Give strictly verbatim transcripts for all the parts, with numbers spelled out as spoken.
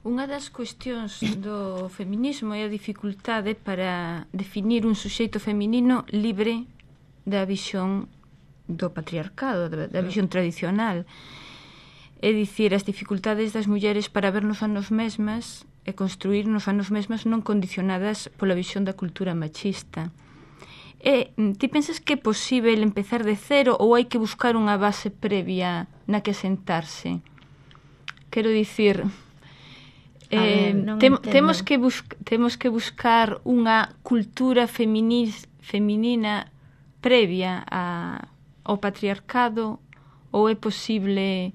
Unha das cuestións do feminismo é a dificultade para definir un suxeito feminino libre da visión do patriarcado, da visión tradicional. É dicir, as dificultades das mulleres para vernos a nos mesmas e construirnos a nos mesmas non condicionadas pola visión da cultura machista. E ti pensas que é posível empezar de cero ou hai que buscar unha base previa na que sentarse? Quero dicir, eh, ver, tem, temos, que busca, temos que buscar unha cultura feminis, feminina previa a, ao patriarcado ou é posible...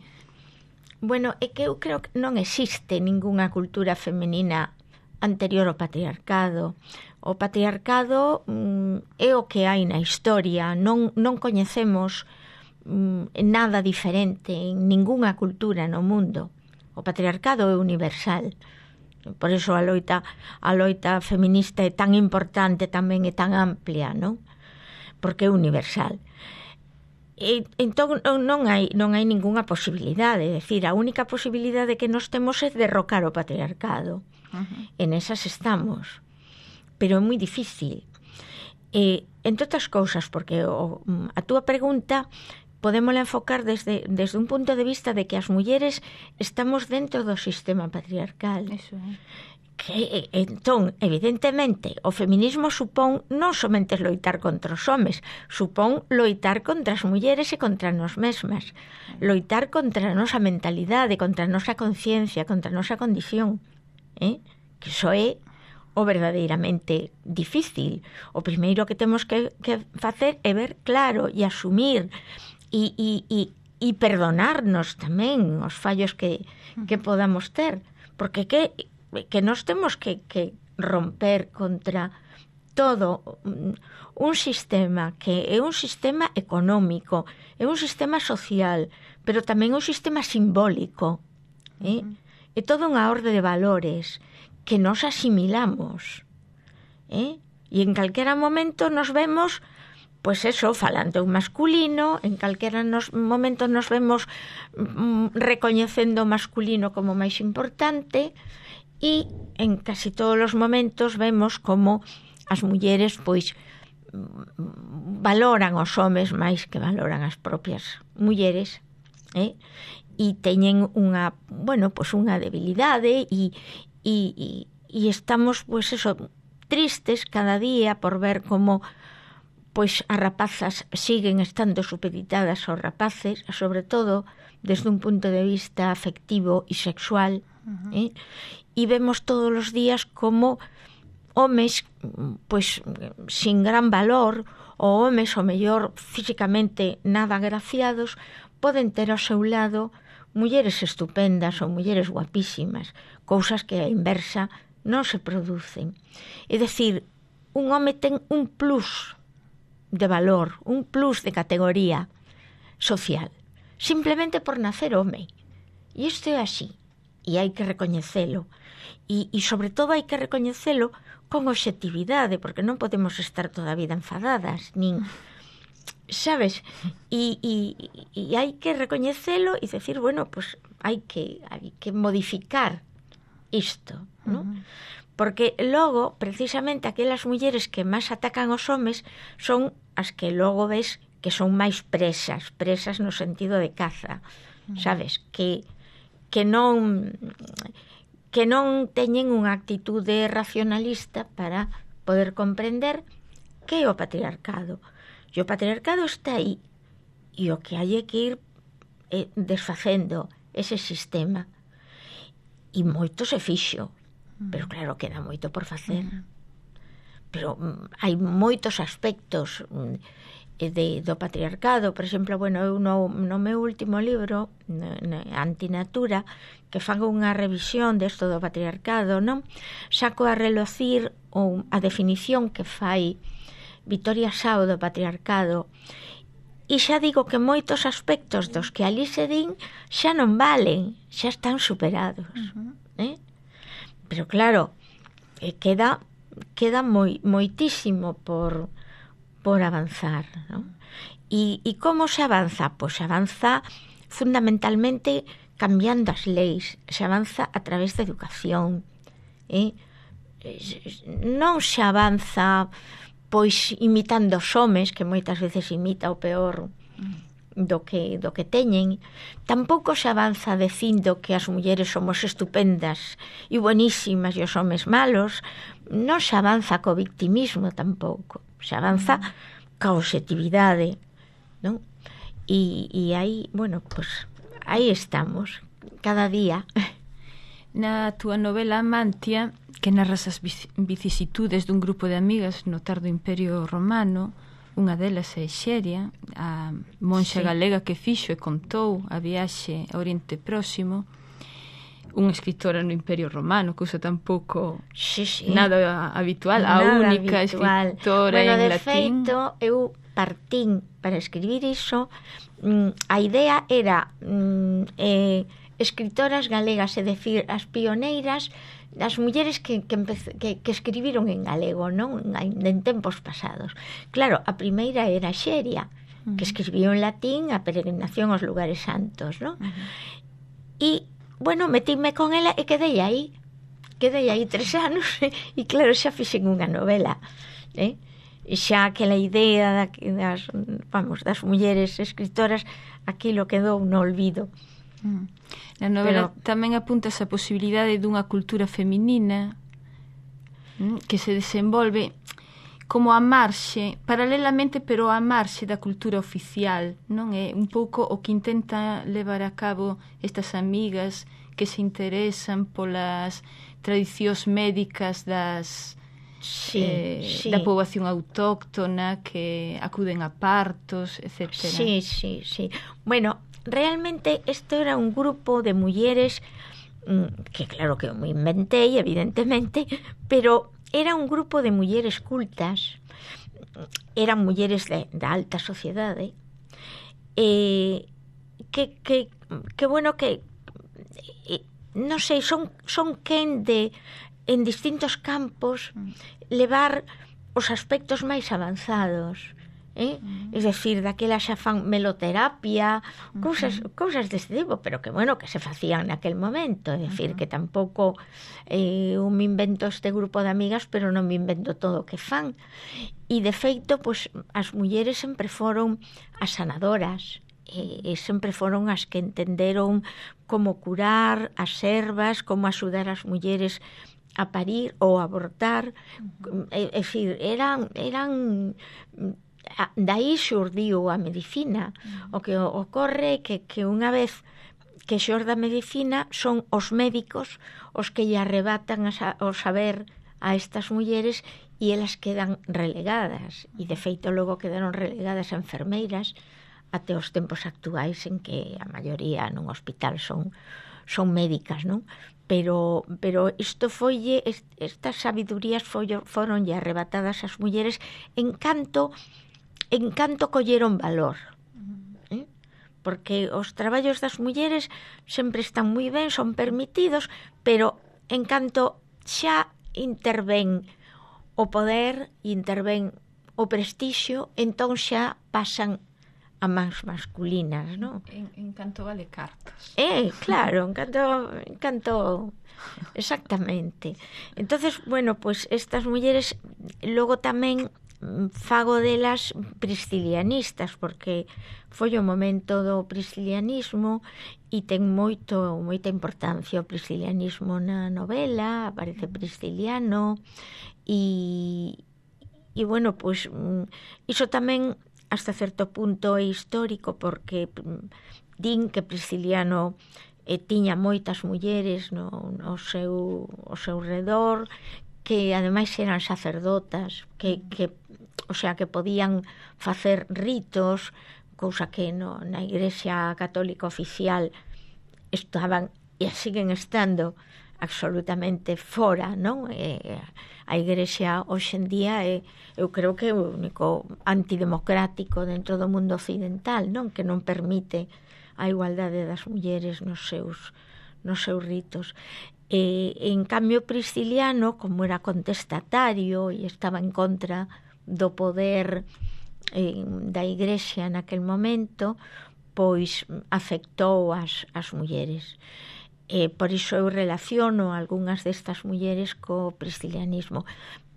Bueno, é que eu creo que non existe ningunha cultura feminina anterior ao patriarcado. O patriarcado mm, é o que hai na historia. Non, non coñecemos mm, nada diferente en ningunha cultura no mundo. O patriarcado é universal. Por eso a loita, a loita feminista é tan importante, tamén é tan amplia, non? Porque é universal. E, entón non hai, non hai ningunha posibilidade. É dicir, a única posibilidade que nós temos é derrocar o patriarcado. Uh-huh. En esas estamos. Pero é moi difícil. E, entre outras cousas, porque o, a túa pregunta podémola enfocar desde, desde un punto de vista de que as mulleres estamos dentro do sistema patriarcal. Eso é. Que, entón, evidentemente, o feminismo supón non somente loitar contra os homes, supón loitar contra as mulleres e contra nós mesmas, loitar contra a nosa mentalidade, contra a nosa conciencia, contra a nosa condición, eh? Que iso é o verdadeiramente difícil. O primeiro que temos que, que facer é ver claro e asumir e, e, e, e perdonarnos tamén os fallos que, que podamos ter, porque que que nós temos que, que romper contra todo un sistema que é un sistema económico, é un sistema social, pero tamén un sistema simbólico, eh? Uh-huh. É toda unha orde de valores que nos asimilamos, eh? E en calquera momento nos vemos, pois eso, falando en masculino, en calquera nos, momento nos vemos mm, recoñecendo o masculino como máis importante. E en casi todos os momentos vemos como as mulleres pois valoran os homes máis que valoran as propias mulleres, eh? E teñen unha, bueno, pois unha debilidade e, e, e, e estamos pois eso, tristes cada día por ver como pois as rapazas siguen estando supeditadas aos rapaces, sobre todo desde un punto de vista afectivo e sexual, uh-huh. eh? E vemos todos os días como homes pois sin gran valor ou homes o mellor físicamente nada agraciados poden ter ao seu lado mulleres estupendas ou mulleres guapísimas, cousas que a inversa non se producen. É dicir, un home ten un plus de valor, un plus de categoría social, simplemente por nacer home. E isto é así, e hai que recoñecelo. E, e sobre todo hai que recoñecelo con obxectividade, porque non podemos estar toda a vida enfadadas, nin, sabes? E, e, e hai que recoñecelo e decir, bueno, pues hai que, hai que modificar isto, ¿no? Uh-huh. Porque logo, precisamente, aquelas mulleres que máis atacan os homes son as que logo ves que son máis presas, presas no sentido de caza, uh-huh. sabes? Que, que non... que non teñen unha actitude racionalista para poder comprender que é o patriarcado. E o patriarcado está aí, e o que hai é que ir eh, desfacendo ese sistema. E moito se fixo, mm. pero claro, queda moito por facer. Mm. Pero mm, hai moitos aspectos mm, de, do patriarcado. Por exemplo, bueno, eu no, no meu último libro, Antinatura, que fago unha revisión desto do patriarcado, non? Saco a relucir ou a definición que fai Victoria Sao do patriarcado, e xa digo que moitos aspectos dos que ali se din xa non valen, xa están superados. Uh-huh. eh? Pero claro, eh, queda queda moi, moitísimo por, por avanzar, non? E, e como se avanza? Pois se avanza fundamentalmente cambiando as leis, se avanza a través da educación, eh? Non se avanza pois imitando os homes, que moitas veces imita o peor do que, do que teñen. Tampouco se avanza dicindo que as mulleres somos estupendas e buenísimas e os homes malos. Non se avanza co victimismo tampouco, se avanza ca objetividade, non? E, e aí, bueno, pues aí estamos, cada día. Na túa novela Amantia, que narras as vicisitudes dun grupo de amigas no tardo Imperio Romano, unha delas é Xeria, a monxa sí. galega que fixo e contou a viaxe ao Oriente Próximo, unha escritora no Imperio Romano, cousa tampouco sí, sí. nada habitual, nada a única habitual. Escritora bueno, en de latín. Feito, eu partín para escribir iso, a idea era mm, eh, escritoras galegas, é dicir, as pioneiras, as mulleres que, que, empece, que, que escribiron en galego, non? En tempos pasados. Claro, a primeira era Xeria, uh-huh. que escribiu en latín a peregrinación aos lugares santos, non? Uh-huh. E, bueno, metíme con ela e quedei aí. Quedei aí tres anos e, e claro, xa fixen unha novela, eh? Xa aquela idea das, vamos, das mulleres escritoras, aquilo quedou no olvido. Uh-huh. Na novela Pero... tamén apuntas a posibilidade dunha cultura feminina que se desenvolve como a marxe, paralelamente, pero a marxe da cultura oficial, non é? Un pouco o que intenta levar a cabo estas amigas que se interesan polas tradicións médicas das sí, eh, sí. da poboación autóctona, que acuden a partos, etcétera. Sí, sí, sí. Bueno, realmente isto era un grupo de mulleres que claro que me inventei, evidentemente, pero era un grupo de mulleres cultas, eran mulleres de, da alta sociedade, eh, que, que, que bueno, que eh, non sei, son, son quen de en distintos campos levar os aspectos máis avanzados, eh? Uh-huh. Es decir, daquela xa fan meloterapia, uh-huh. cousas, cousas deste tipo, pero que, bueno, que se facían naquel momento, é dicir, uh-huh. que tampouco eh, un me invento este grupo de amigas, pero non me invento todo o que fan. E, de feito, pues, as mulleres sempre foron as sanadoras, e, e sempre foron as que entenderon como curar as servas, como axudar as mulleres a parir ou abortar, uh-huh. é, é dicir, eran... eran daí xurdiu a medicina. Uh-huh. O que ocorre é que, que unha vez que xorda a medicina son os médicos os que lle arrebatan o saber a estas mulleres e elas quedan relegadas, e de feito logo quedaron relegadas a enfermeiras até os tempos actuais en que a maioría nun hospital son, son médicas, non? Pero, pero isto foi, estas sabidurías foi, foronlle arrebatadas ás mulleres en canto en canto colleron valor, eh? Porque os traballos das mulleres sempre están moi ben, son permitidos, pero en canto xa intervén o poder, intervén o prestixio, entón xa pasan a mans masculinas, non? En, en canto vale cartas. Eh, claro, en canto, en canto exactamente. Entonces, bueno, pues estas mulleres logo tamén fago delas priscilianistas, porque foi o momento do priscilianismo e ten moito moita importancia o priscilianismo na novela, aparece Prisciliano e, e bueno, pois iso tamén hasta certo punto é histórico, porque din que Prisciliano eh, tiña moitas mulleres no, no seu, o seu redor, que ademais eran sacerdotas, que, que o sea, que podían facer ritos, cousa que no, na Igrexa Católica oficial estaban e siguen estando absolutamente fora, non? E, a Igrexa hoxe en día é, eu creo que é o único antidemocrático dentro do mundo occidental, non? Que non permite a igualdade das mulleres nos seus, nos seus ritos. E, en cambio, Prisciliano, como era contestatario e estaba en contra do poder eh, da Igrexa naquel momento, pois afectou as, as mulleres. E por iso eu relaciono algunhas destas mulleres co priscilianismo.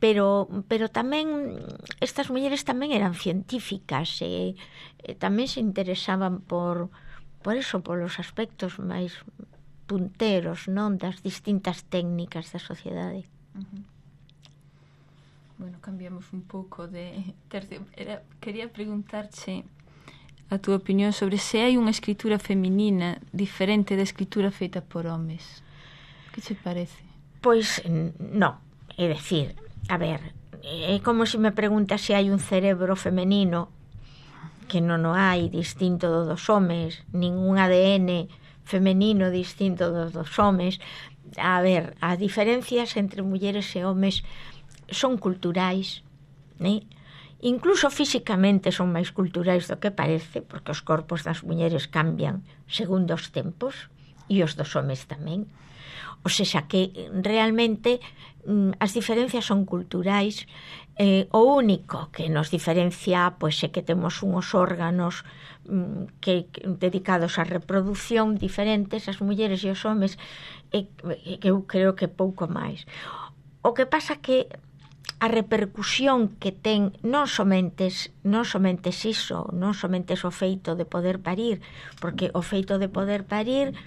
Pero, pero tamén, estas mulleres tamén eran científicas e, e tamén se interesaban por, por eso, por os aspectos máis punteros, non, das distintas técnicas da sociedade. Uh-huh. Bueno, cambiamos un pouco de tercio. Era, quería preguntarche a túa opinión sobre se hai unha escritura feminina diferente da escritura feita por homes. Que che parece? Pois non, é decir, a ver, é como se me preguntas se hai un cerebro femenino, que non o hai, distinto do dos homes, ningún A D N femenino distinto do dos homes. A ver, as diferencias entre mulleres e homes son culturais, né? Incluso físicamente son máis culturais do que parece, porque os corpos das mulleres cambian segundo os tempos e os dos homes tamén. O seja que realmente as diferencias son culturais. Eh, o único que nos diferencia pois é que temos uns órganos que, que dedicados á reproducción diferentes, as mulleres e os homes, e, e que eu creo que pouco máis. O que pasa que a repercusión que ten non somente, non somente iso, non somente o feito de poder parir, porque o feito de poder parir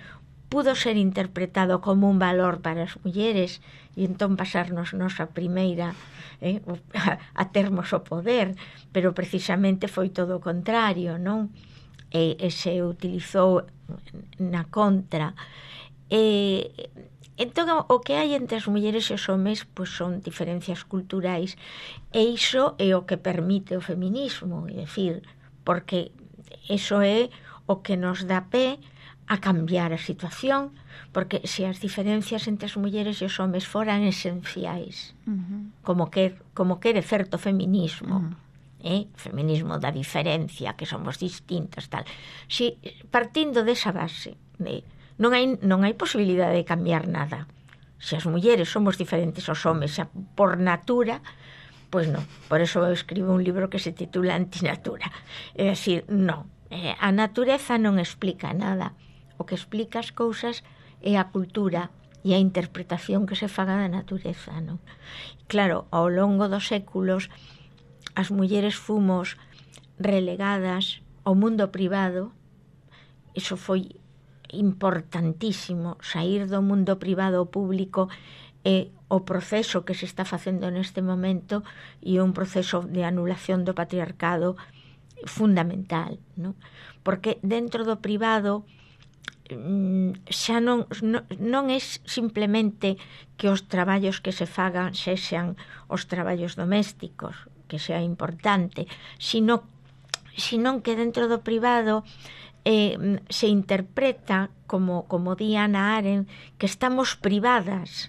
pudo ser interpretado como un valor para as mulleres e entón pasarnos nosa primeira eh, a, a termos o poder, pero precisamente foi todo o contrario, non? E, e se utilizou na contra. E entón, o que hai entre as mulleres e os homes pois son diferencias culturais, e iso é o que permite o feminismo, é dicir, porque iso é o que nos dá pé a cambiar a situación, porque se as diferencias entre as mulleres e os homes foran esenciais, uh-huh. como quer, como quere certo feminismo, uh-huh. eh? Feminismo da diferencia, que somos distintas, tal. Si, partindo desa base, de Non hai, non hai posibilidade de cambiar nada. Se as mulleres somos diferentes aos homes xa por natura, pois non. Por eso eu escribo un libro que se titula Antinatura. É dicir, non. Eh, a natureza non explica nada. O que explica as cousas é a cultura e a interpretación que se faga da natureza, non? Claro, ao longo dos séculos as mulleres fomos relegadas ao mundo privado. Iso foi importantísimo, sair do mundo privado ao público é o proceso que se está facendo neste momento e un proceso de anulación do patriarcado fundamental, non? Porque dentro do privado xa non, non, non é simplemente que os traballos que se fagan sexan os traballos domésticos, que sea importante, sino, sino que dentro do privado Eh, se interpreta como, como di Hannah Arendt, que estamos privadas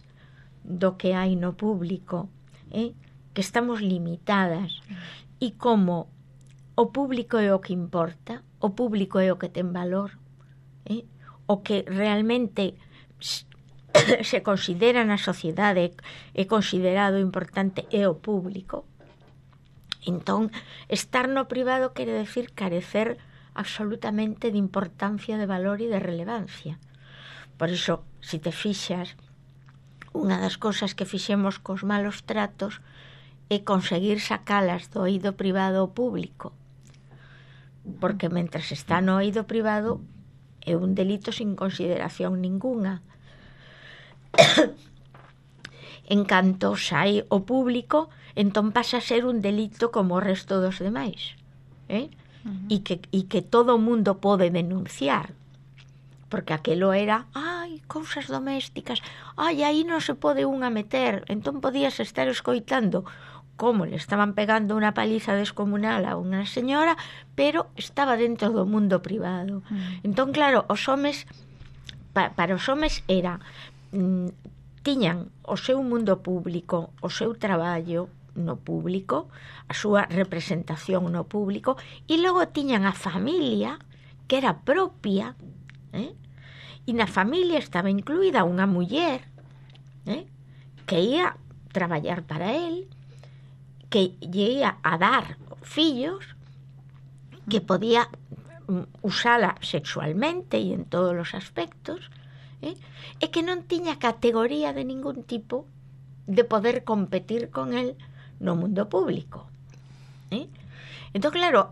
do que hai no público, eh? que estamos limitadas, e como o público é o que importa, o público é o que ten valor, eh? o que realmente se considera na sociedade, é considerado importante, é o público. Entón, estar no privado quere decir carecer absolutamente de importancia, de valor e de relevancia. Por iso, se te fixas, unha das cousas que fixemos cos malos tratos é conseguir sacalas do eido privado ao público, porque mentras está no eido privado é un delito sin consideración ninguna. En canto sai o público, entón pasa a ser un delito como o resto dos demais, eh? Uh-huh. E que, e que todo o mundo pode denunciar, porque aquelo era ai, cousas domésticas, ai, aí non se pode unha meter. Entón podías estar escoitando como le estaban pegando unha paliza descomunal a unha señora, pero estaba dentro do mundo privado. Uh-huh. Entón, claro, os homes, pa, para os homes era mm, tiñan o seu mundo público, o seu traballo no público, a súa representación no público, e logo tiñan a familia que era propia, eh? E na familia estaba incluída unha muller, eh? que ia traballar para él, que lle ia a dar fillos, que podía usala sexualmente e en todos os aspectos, eh? e que non tiña categoría de ningún tipo de poder competir con el no mundo público. Eh? Entón, claro,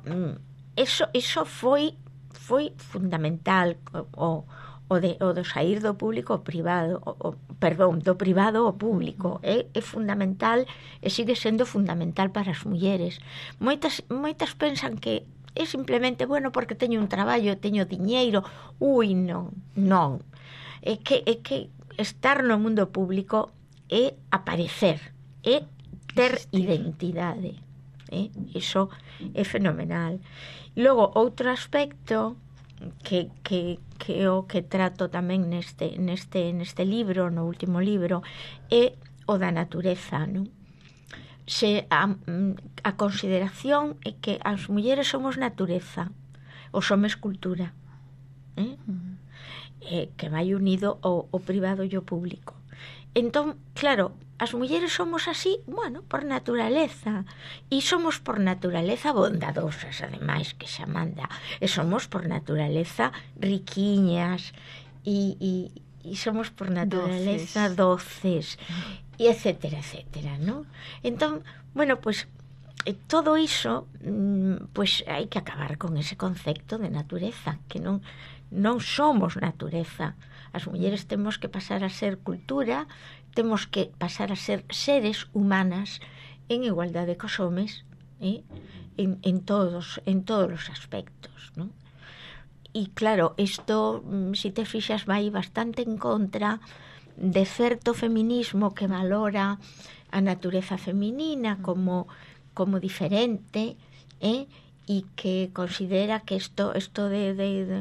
eso, eso foi foi fundamental, o, o, de, o do sair do público ao privado, o, o, perdón, do privado ao público, é, é fundamental e sigue sendo fundamental para as mulleres. Moitas, moitas pensan que é simplemente, bueno, porque teño un traballo, teño diñeiro, ui, non, non. É que, é que estar no mundo público é aparecer, é ter identidade. Eh? Iso é fenomenal. E logo, outro aspecto que, que, que o que trato tamén neste, neste, neste libro, no último libro, é o da natureza, non? Se a, a consideración é que as mulleres somos natureza, os homes cultura, eh? Uh-huh. Eh, que vai unido ao, ao privado e ao público. Entón, claro, as mulleres somos así, bueno, por naturaleza, e somos por naturaleza bondadosas, ademais, que xa manda, e somos por naturaleza riquiñas, e, e, e somos por naturaleza doces, doces e etcétera, etcétera, ¿no? Entón, bueno, pues todo iso, pues hai que acabar con ese concepto de natureza, que non non somos natureza. As mulleres temos que pasar a ser cultura, temos que pasar a ser seres humanas en igualdade cos homes, eh? en, en, todos, en todos os aspectos, ¿no? E claro, isto, se te fixas, vai bastante en contra de certo feminismo que valora a natureza feminina como, como diferente, eh? E que considera que isto, isto de, de, de,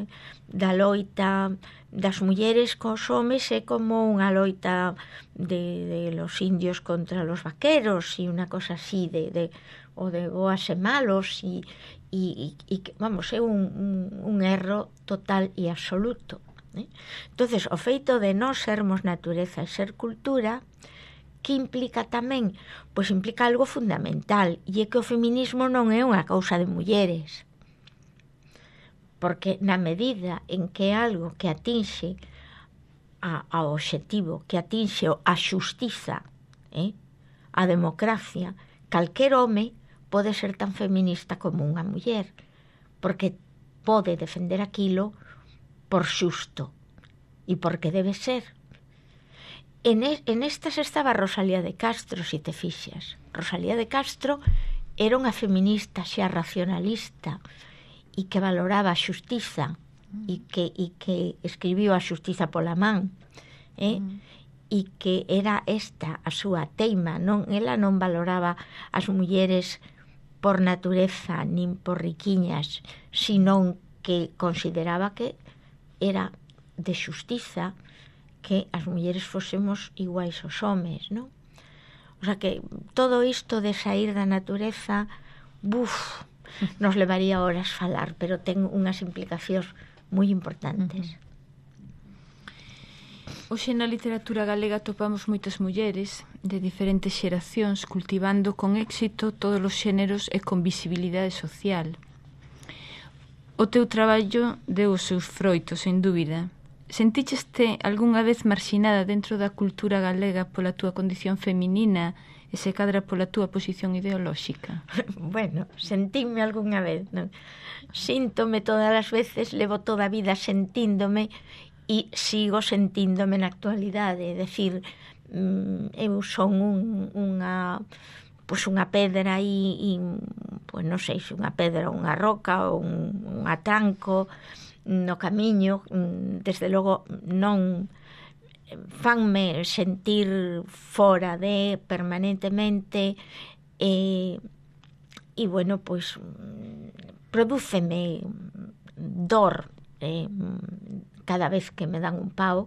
da loita das mulleres cos homes é como unha loita de, de los indios contra los vaqueros e unha cosa así de, de, o de boas e malos e, e, e vamos, é un, un, un erro total e absoluto, eh? Entonces, o feito de non sermos natureza e ser cultura, que implica tamén? Pois implica algo fundamental, e é que o feminismo non é unha cousa de mulleres. Porque na medida en que é algo que atinxe a, ao obxectivo, que atinxe a xustiza, eh? a democracia, calquer home pode ser tan feminista como unha muller, porque pode defender aquilo por xusto e porque debe ser. En, es, en estas estaba Rosalía de Castro, se te fixas. Rosalía de Castro era unha feminista xa racionalista e que valoraba a xustiza e que, e que escribiu a xustiza pola man, eh? Mm. E que era esta a súa teima, non? Ela non valoraba as mulleres por natureza nin por riquiñas, senón que consideraba que era de xustiza que as mulleres fósemos iguais aos homes, non? O sea que todo isto de sair da natureza, buf, nos levaría horas falar, pero ten unhas implicacións moi importantes. Hoxe na literatura galega topamos moitas mulleres de diferentes xeracións cultivando con éxito todos os xéneros e con visibilidade social. O teu traballo deu os seus froitos, sen dúbida. Sentícheste algunha vez marxinada dentro da cultura galega pola túa condición feminina e se cadra pola túa posición ideolóxica? Bueno, sentíme algunha vez, non? Síntome todas as veces, levo toda a vida sentíndome e sigo sentíndome na actualidade. É dicir, eu son un, unha, pois unha pedra e, e pois non sei se unha pedra ou unha roca ou un, un atranco no camiño, desde logo non fanme sentir fora de permanentemente e, e bueno, pois prodúceme dor eh, cada vez que me dan un pao,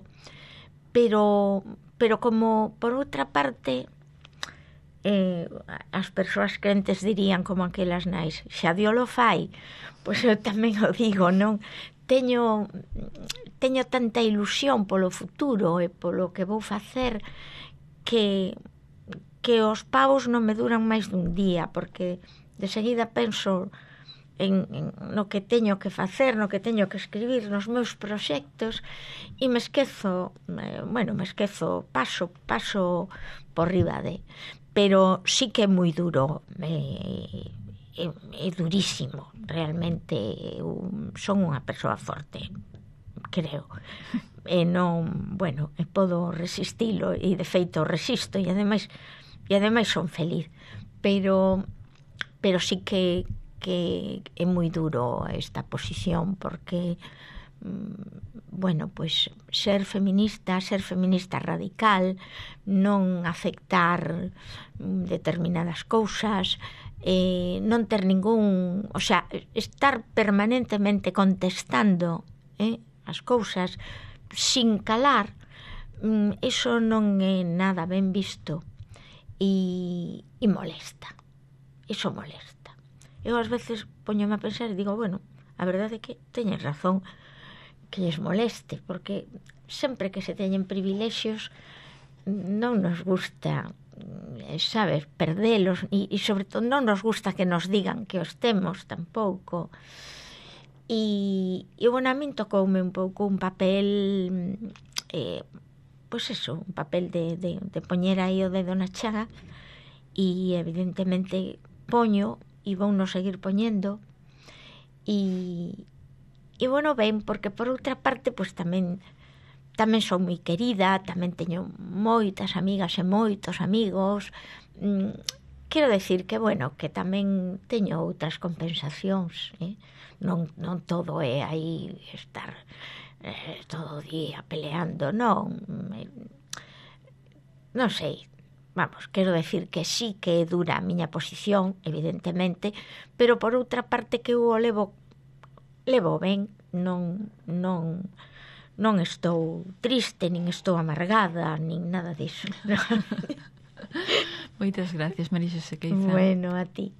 pero pero como por outra parte eh, as persoas crentes dirían como aquelas nais, xa Dios lo fai, pois eu tamén o digo, non? Teño, teño tanta ilusión polo futuro e polo que vou facer que, que os pavos non me duran máis dun día, porque de seguida penso en, en no que teño que facer, no que teño que escribir, nos meus proxectos, e me esquezo, eh, bueno, me esquezo, paso, paso por riba de, pero sí que é moi duro, é, é, é durísimo, realmente eu son unha persoa forte, creo, e non, bueno, e podo resistilo, e de feito resisto, e ademais, e ademais son feliz, pero, pero sí que que é moi duro esta posición porque bueno, pois ser feminista, ser feminista radical, non aceptar determinadas cousas, eh, non ter ningún, o sea, estar permanentemente contestando eh, as cousas sin calar, eso non é nada ben visto e, e molesta, eso molesta. Eu ás veces poñome a pensar e digo, bueno, a verdade é que teñen razón que lles moleste, porque sempre que se teñen privilexios non nos gusta, sabes, perdelos, e, e sobre todo non nos gusta que nos digan que os temos tampouco. E, e bueno, a min tocoume un pouco un papel, eh, pois eso, un papel de, de, de poñer aí o dedo na chaga, e evidentemente poño e vou no seguir poñendo e, e bueno, ben, porque por outra parte pois tamén tamén son moi querida, tamén teño moitas amigas e moitos amigos, mm, quero decir que bueno, que tamén teño outras compensacións, eh? non, non todo é aí estar eh, todo o día peleando, non, eh, non sei. Vamos, quero decir que sí que é dura a miña posición, evidentemente, pero por outra parte que eu o levo, levo ben, non, non, non estou triste, nin estou amargada, nin nada disso. Moitas gracias, María Xosé Queiza. Bueno, a ti.